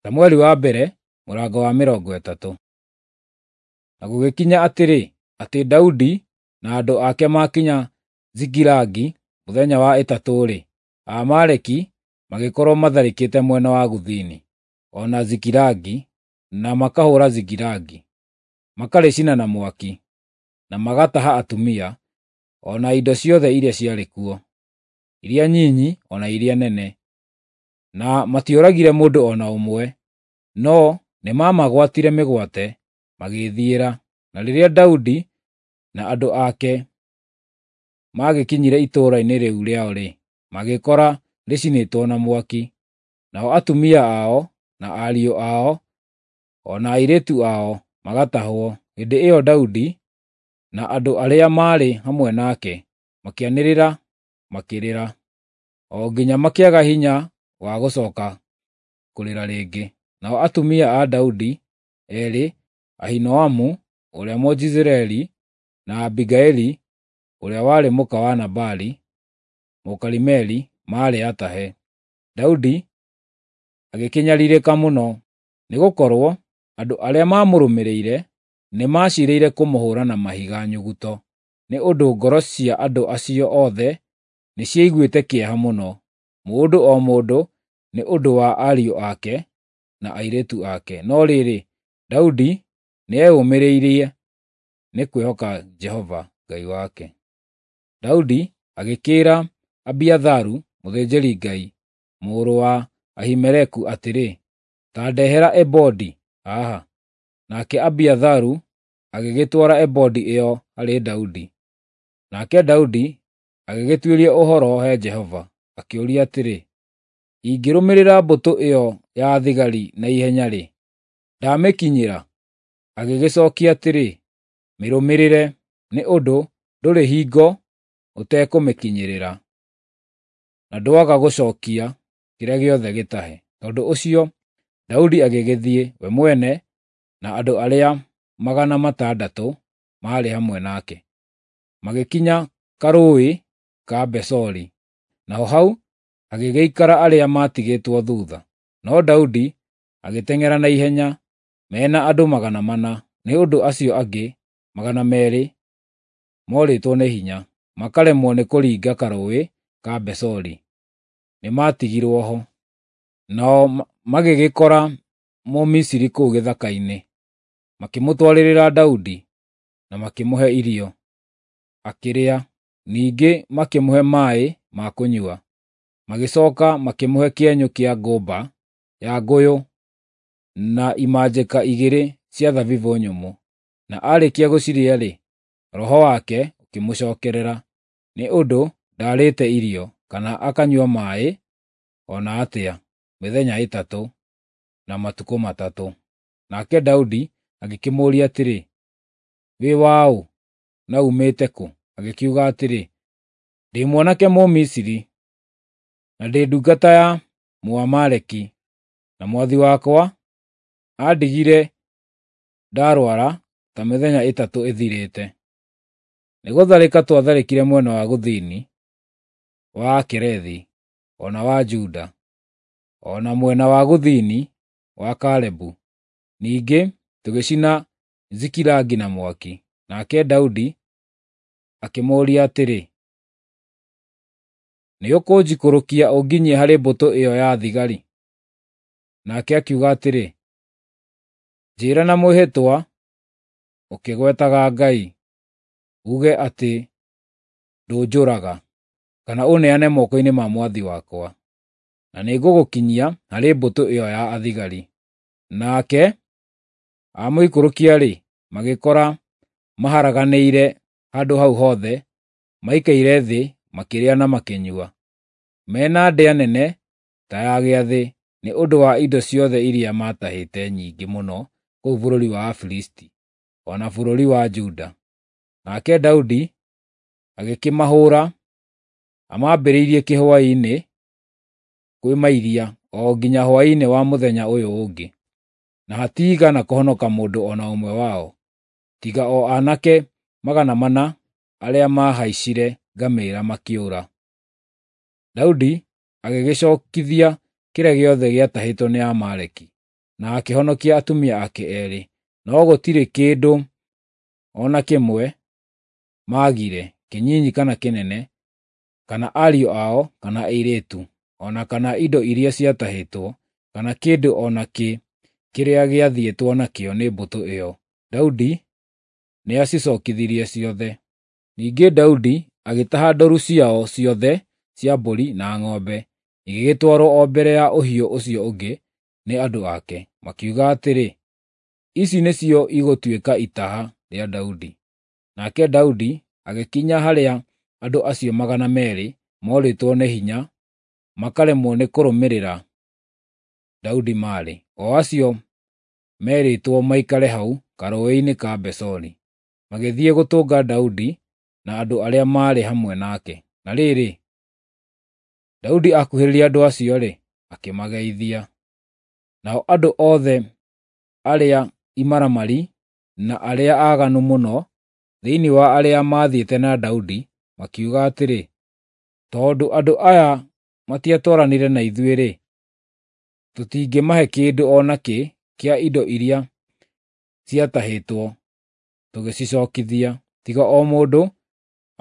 Samueli wa mbere mũrango wa 30. Na gũgĩkinya atĩrĩ, atĩ Daudi na andũ ake maakinya Zikilagi mũthenya wa ĩtatũ-rĩ, Aamaleki magĩkorwo matharĩkĩte mwena wa gũthini, o na Zikilagi, na makahũũra Zikilagi, makarĩcina na mwaki, na magataha atumia, o na indo ciothe iria ciarĩ kuo, iria nyinyi o na iria nene. Na matioragire mũndũ o na ũmwe, no nĩmamagwatire mĩgwate magĩĩthiĩra. Na rĩrĩa Daudi na andũ ake magĩkinyire itũũra-inĩ rĩu rĩao-rĩ, magĩkora rĩcinĩtwo na mwaki, nao atumia ao, na ariũ ao, o na airĩtu ao magatahwo. Hĩndĩ ĩyo Daudi na andũ arĩa maarĩ hamwe nake makĩanĩrĩra makĩrĩra, o nginya makĩaga hinya wa gũcooka kũrĩra rĩngĩ. Nao atumia a Daudi eerĩ, Ahinoamu ũrĩa Mũjezireeli na Abigaili ũrĩa warĩ mũka wa Nabali Mũkarimeli, maarĩ atahe. Daudi agĩkĩnyariirĩka mũno, nĩgũkorwo andũ arĩa maamũrũmĩrĩire nĩmaciirĩire kũmũhũũra na mahiga nyuguto, nĩ ũndũ ngoro cia andũ acio othe nĩciaiguĩte kĩeha mũno, mũndũ o mũndũ nĩ ũndũ wa ariũ ake na airĩtu ake. No rĩrĩ, Daudi nĩeyũmĩrĩirie nĩ kwĩhoka Jehova Ngai wake. Daudi agĩkĩĩra Abiatharu mũthĩnjĩri-Ngai, mũrũ wa Ahimeleku atĩrĩ, “Ta ndehera ebodi haha.” Nake Abiatharu agĩgĩtwara ebodi ĩyo harĩ Daudi. Nake Daudi agĩgĩtuĩria ũhoro he Jehova, akĩũria atĩrĩ, “Ingĩrũmĩrĩra mbũtũ ĩyo ya thigari na ihenya-rĩ, ndamĩkinyĩra?” Agĩgĩcookia atĩrĩ, “Mĩrũmĩrĩre, nĩ ũndũ ndũrĩ hingo ũtekũmĩkinyĩrĩra, na ndwaga gũcookia kĩrĩa gĩothe gĩtahe.” Tondũ ũcio Daudi agĩgĩthiĩ, we mwene na andũ arĩa 600 maarĩ hamwe nake, magĩkinya karũũĩ ka Besori, naho hau hagĩgĩikara arĩa maatigĩtwo thuutha. No Daudi agĩteng'era na ihenya, me na andũ 400, nĩ ũndũ acio angĩ 200 morĩtwo nĩ hinya, makaremwo nĩ kũringa karũũĩ ka Besori, nĩmatigirwo ho. Nao magĩgĩkora Mũmisiri kũu gĩthaka-inĩ, makĩmũtwarĩrĩra Daudi, na makĩmũhe irio, akĩrĩa. Ningĩ makĩmũhe maaĩ ma kũnyua. Magĩcooka makĩmũhe kĩenyũ kĩa ngũmba ya ngũyũ na imanjĩka igĩrĩ cia thabibũ nyũmũ. Na aarĩkia gũcirĩa-rĩ, roho wake ũkĩmũcookerera, nĩ ũndũ ndaarĩte irio, kana akanyua maaĩ o na atĩa, mĩthenya 3 na matukũ 3. Nake Daudi agĩkĩmũũria atĩrĩ, “Wĩ waũ, na uumĩte kũ?” Agĩkiuga atĩrĩ, “Ndĩ mwanake Mũmisiri, na ndĩ ndungata ya Mũamaleki, na mwathi wakwa aandigire ndarũara ta mĩthenya 3 ĩthirĩte. Nĩgũtharĩka twatharĩkire mwena wa gũthini wa Akerethi, o na wa Juda, o na mwena wa gũthini wa Kalebu. Ningĩ tũgĩcina Zikilagi na mwaki.” Nake Daudi akĩmũũria atĩrĩ, “Nĩũkũnjikũrũkia ũnginyie harĩ mbũtũ ĩyo ya thigari?” Nake akiuga atĩrĩ, “Njĩĩra na mwĩhĩtwa ũkĩgwetaga Ngai, uuge atĩ ndũnjũraga, kana ũneane moko-inĩ ma mwathi wakwa, na nĩngũgũkinyia harĩ mbũtũ ĩyo ya athigari.” Nake amũikũrũkia-rĩ, magĩkora maharaganĩire handũ hau hothe, maikaire thĩ makĩrĩa na makĩnyua, me na ndĩa nene ta ya gĩathĩ nĩ ũndũ wa indo ciothe iria maatahĩte nyingĩ mũno kũu bũrũri wa Afilisti, o na bũrũri wa Juda. Nake Daudi agĩkĩmahũũra, amambĩrĩirie kĩhwaĩ-inĩ kwĩ mairia o nginya hwaĩ-inĩ wa mũthenya ũyũ ũngĩ, na hatiigana kũhonoka mũndũ o na ũmwe wao, tiga o aanake 400 arĩa maahaicire ngamĩĩra makĩũra. Daudi agĩgĩcookithia kĩrĩa gĩothe gĩatahĩtwo nĩ Aamaleki. na akĩhonokia atumia ake eerĩ, no gũtirĩ kĩndũ o na kĩmwe maagire, kĩnyinyi kana kĩnene, kana ariũ ao kana airĩtu, o na kana indo iria ciatahĩtwo, kana kĩndũ o na kĩ kĩrĩa gĩathiĩtwo nakĩo nĩ mbũtũ ĩyo. Daudi nĩacicokithirie ciothe. Ningĩ Daudi agĩtaha ndũru ciao ciothe cia mbũri na ng'ombe, igĩgĩtwarwo o mbere ya ũhiũ ũcio ũngĩ nĩ andũ ake, makiuga atĩrĩ, “Ici nĩcio igũtuĩka itaha rĩa Daudi.” Nake Daudi agĩkinya harĩa andũ acio 200 morĩtwo nĩ hinya makaremwo nĩ kũrũmĩrĩra Daudi maarĩ, o acio meerĩtwo maikare hau karũũĩ-inĩ ka Besori, magĩthiĩ gũtũnga Daudi na andũ arĩa maarĩ hamwe nake. Na rĩrĩ, Daudi akuhĩrĩria andũ acio-rĩ, akĩmageithia. Nao andũ othe arĩa imaramari na arĩa aaganu mũno thĩinĩ wa arĩa maathiĩte na Daudi makiuga atĩrĩ, “Tondũ andũ aya matiatwaranire na ithuĩ-rĩ, tũtingĩmahe kĩndũ o nakĩ kĩa indo iria ciatahĩtwo tũgĩcicokithia, tiga o mũndũ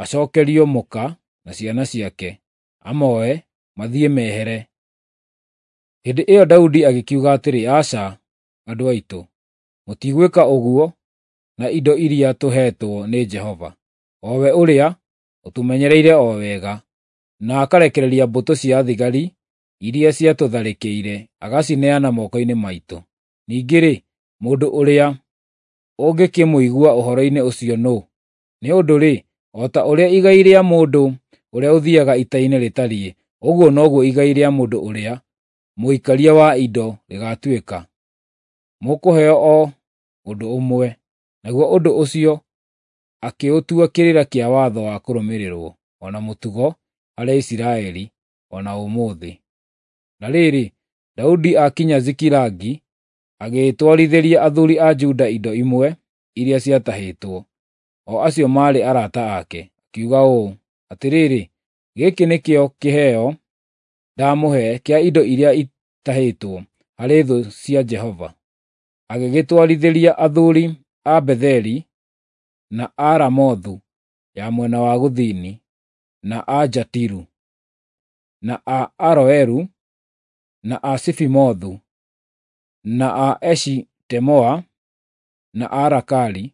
acookerio mũka na ciana ciake, amoe, mathiĩ mehere.” Hĩndĩ ĩyo Daudi agĩkiuga atĩrĩ, “Aca, andũ aitũ, mũtigwĩka ũguo na indo iria tũheetwo nĩ Jehova, o we ũrĩa ũtũmenyereire o wega, na akarekereria mbũtũ cia thigari iria ciatũtharĩkĩire agacineana moko-inĩ maitũ. Ningĩ-rĩ, mũndũ ũrĩa ũngĩkĩmũigua ũhoro-inĩ ũcio nũũ? Nĩ ũndũ-rĩ, o ta ũrĩa igai rĩa mũndũ ũrĩa ũthiiaga ita-inĩ rĩtariĩ, ũguo noguo igai rĩa mũndũ ũrĩa mũikaria wa indo rĩgaatuĩka. Mũkũheo o ũndũ ũmwe.” Naguo ũndũ ũcio akĩũtua kĩrĩra kĩa watho wa kũrũmĩrĩrwo, o na mũtugo harĩ Isiraeli o na ũmũthĩ. Na rĩrĩ, Daudi aakinya Zikilagi, agĩtwarithĩria athuuri a Juda indo imwe iria ciatahĩtwo, o acio maarĩ arata ake, akiuga ũũ, “Atĩrĩrĩ, gĩkĩ nĩkĩo kĩheo ndamũhe kĩa indo iria itahĩtwo harĩ thũ cia Jehova.” Agĩgĩtwarithĩria athuuri a Betheli, na a Ramothu ya mwena wa gũthini, na a Jatiru, na a Aroeru, na a Sifimothu, na a Eshitemoa, na a Rakali,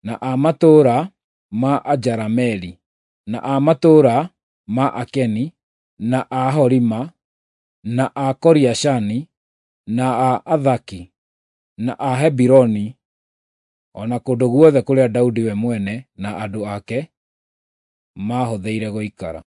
na a matũũra ma Ajerameli, na a matũũra ma Akeni, na a Horima, na a Koriashani, na a Athaki, na a Hebironi, o na kũndũ guothe kũrĩa Daudi we mwene na andũ ake maahũthĩire gũikara.